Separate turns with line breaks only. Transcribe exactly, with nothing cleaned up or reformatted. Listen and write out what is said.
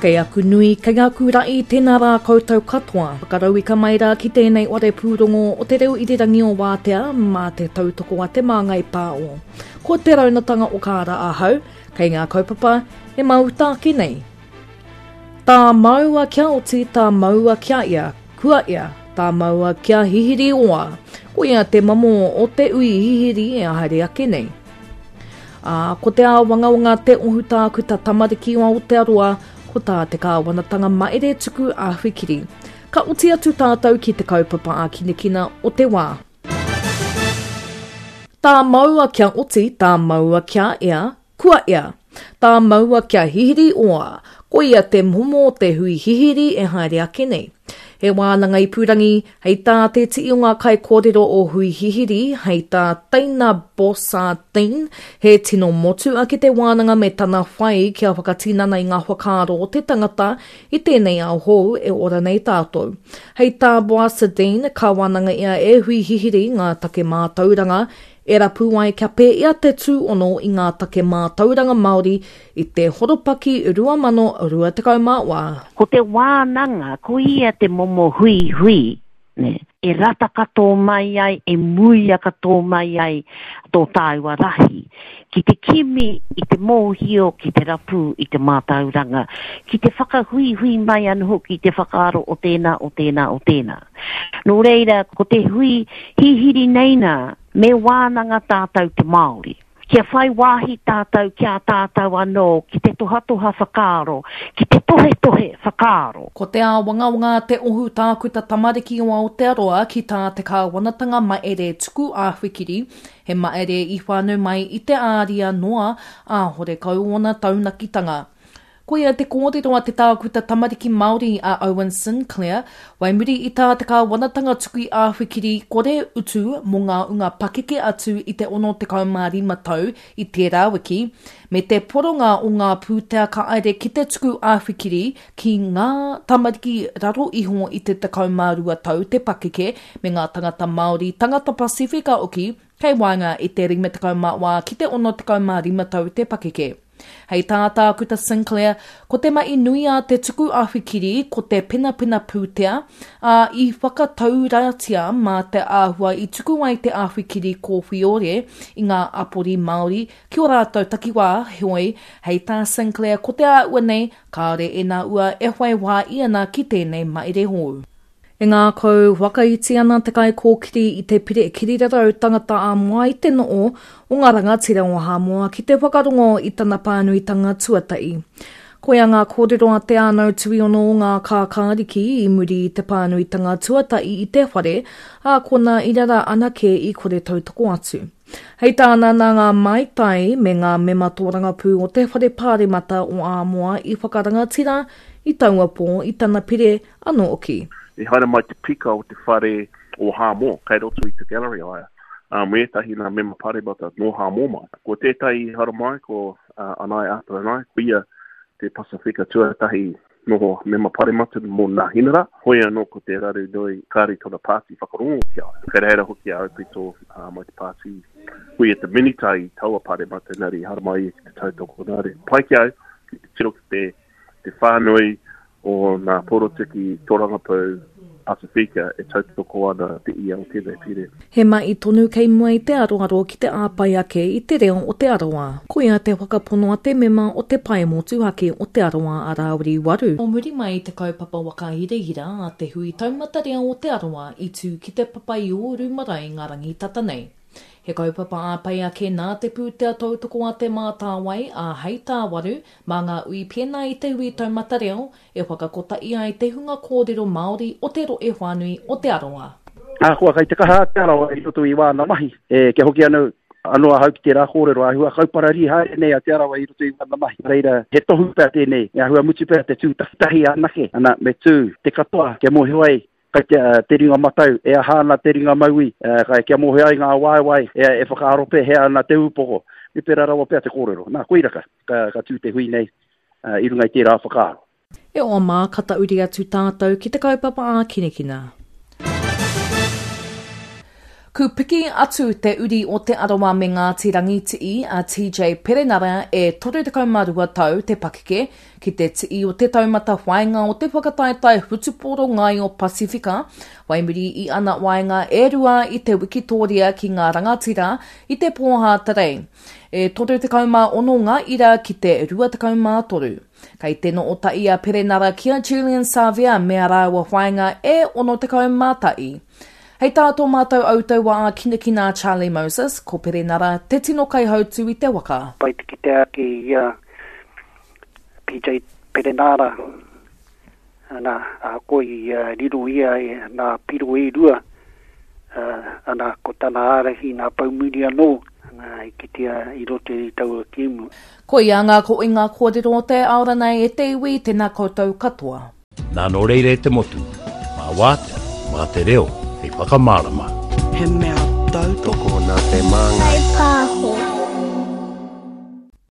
Kei aku nui, kei aku ra'i, tēnā rā koutou katoa. Whakarauika mai rā ki tēnei ware pūrongo o te reo irirangi o Wātea mā te tautoko a Te Māngai Pāo. Ko te raunatanga o kāra ahau, kei ngā kaupapa e māuta ake nei. Tā maua kia oti, tā maua kia ia, kua ia, tā maua kia hihiri oa. Ko ia te mamo o te ui hihiri e haere ake nei. Ā, ko te āwangawanga te ohu tākuta tamariki o Aotearoa, ko tā te kāwanatanga maere tuku āwhikiri. Ka oti atu tātou ki te kaupapa ākinakina o te wā. Tā maua kia oti, tā maua kia ea, kua ea. Tā maua kia hihiri oa, ko ia te momo o te hui hihiri e haere ake nei. He wānanga ipurangi, hei tā te tii o ngā kaikōrero o Hui Hihiri, hei tā Teina Bossardine, he tino motu ake te wānanga me tana whai kia whakatinana i ngā whakaaro o te tangata i tēnei ao hou e ora nei tātou. Hei tā Boissardine, ka wānanga ia e Hui Hihiri ngā take mātauranga, e rapu ai kia pēia te tūono i ngā take mātauranga Māori i te horopaki rua mano rua tekau mā wā.
Ko te wānanga, ko ia te momo hui hui, ne? E rata katoa mai ai, e muia katoa mai ai tō tāua rahi, ki te kimi i te mōhio, ki te rapu i te mātauranga, ki te whakahuihui mai anō hoki te whakaaro o tēnā, o tēnā, o tēnā. Nō reira, ko te hui hihiri nei nā, me wānanga tātou te Māori. Kia whai wāhi tātou ki a tātou anō, ki te tohatoha whakaaro, ki te tohetohe whakaaro.
Ko te āwangawanga te ohu tākuta tamariki o Aotearoa ki tā te kāwanatanga maere tuku āwhikiri, he maere i whānau mai i te āria noa, ā horekau ōna taunakitanga. Koia te kōrero a te tākuta tamariki Māori a Owen Sinclair, wai muri i tā te kāwanatanga tuku āwhikiri kore utu mō ngā unga pakeke atu i te ono tekau mā rima tau i tērā wiki, me te poronga o ngā pūtea ka aere ki te tuku āwhikiri ki ngā tamariki raro iho i te tekau mā rua tau te pakeke me ngā tangata Māori, tangata Pasifika oki, kei waenga i te rima tekau mā wā ki te ono tekau mā rima tau te pakeke. Hei tā tākuta Sinclair, ko te mahi nui a te tuku āwhikiri ko te penapena pūtea, ā i whakatauratia mā te āhua i tuku ai te āwhikiri kōwhiore i ngā apori Māori ki o rātou takiwā, heoi, hei tā Sinclair ko te āhua nei, kāore e nā ua e whai wā i ana ki tēnei maere hou. E ngākau whakaiti ana te kaikōkiri i te pire kirirarau tangata ā-moa i te noo o ngā rangatira o Hāmoa ki te whakarongo i tana pānuitanga tuatahi. Koia ngā kōrero a te ānau tuiono o ngā kākāriki i muri i te pānuitanga tuatahi i te whare, ā kona i rara anake i kore tautoko atu. Hei tāna nā ngā maitai me ngā mema tōrangapū o te whare pāremata o Āmoa i whakarangatira i taua pō i tana pire anō oki.
I haere mai te pika o te whare o Hāmoa, kei roto i te gallery aia. Um, ētahi nā mema paremata nō Hāmoa mai. Ko tētahi i haere mai, ko uh, Anai Ātaranai, ko ia te Pasifika tuatahi noho mema paremata mō Nāhinara. Hoi anō ko te raru nui kāre tōna pāti whakarongo ki a ia. Kei reira hoki a Aupito uh, mai te pāti. Ko ia te minita i taua paremata, engari i haere mai ia ki te tautoko nā reira. Pai ki au, ki te tiro ki te, te whānui o ngā porotiki tōrangapū Pasifika e tautoko ana te ia o tēnei pire.
He mahi tonu kei mua i te aroaro ki te āpai ake i te reo o Te Arawa. Koia te whakapono a te mema o te pae motuhake o Te Arawa a Rāwiri Waru. O muri mai i te kaupapa whakahirahira a te hui taumata reo o Te Arawa i tū ki te Papaiōru marae ngā rangi tata nei. He kaupapa āpai ake nā te pūtea tautoko a te mātāwai a hei tā Waru mā ngā ui pēnā i te hui taumata reo e whakakotahi ai te hunga kōrero Māori o te rohe whānui o Te Arawa.
Ahakoa kai te kaha a Te Arawa i roto i wāna mahi, e, kia hoki anō, anō ahau ki tērā kōrero, āhua kaupararī haere nei a Te Arawa i roto i wāna mahi. Reira, he tohu pea tēnei, e āhua mutu pea te tū tahi anake, ana, me tū te katoa kia mōhio ai kai te, uh, te ringa matau, e aha ana te ringa mauī, uh, kai kia mōhio ai ngā waewae, e, e whakaaro pēhea ana te ūpoko. Me pērā rawa pea te kōrero. Nā, koira ka, ka, ka tū te hui nei uh, i runga i tērā whakaaro.
E oa mā, ka tauri atu tātou ki te kaupapa ākinakina. Ku piki atu te uri o Te Arawa me Ngāti Rangitihi a T J Perenara e toru tekau mā rua tau te pakeke ki te ti'i o te taumata whainga o te whakataetae hutupōro ngaio Pasifika, wai muri i ana waenga e rua i te wikitoria ki ngā rangatira i te pō Hātarei. E toru tekau mā ono ngā ira ki te rua tekau mā toru. Kei te no'o tahi a Perenara ki a Julian Savea me a rāua whainga e ono tekau mā tahi. Hei tā tō mātou autaua a Kinakina Charlie Moses, ko Perenara te tino kaihautu i te waka.
Pai te kite ake i a P J Perenara, ana, a ko i uh, riro ia e nā piro e rua, uh, ana, ko tana ārahi nā paumuri anō, ana, i kitea i roto i taua kēmu.
Ko ia ngā ko i ngā kōrero o te aora nei e te iwi, tēnā koutou katoa.
Nā nō reira e te motu, mā wātea, mā te reo, hei whakamārama.
He mea tautoko
nā te māngai.
Pāho.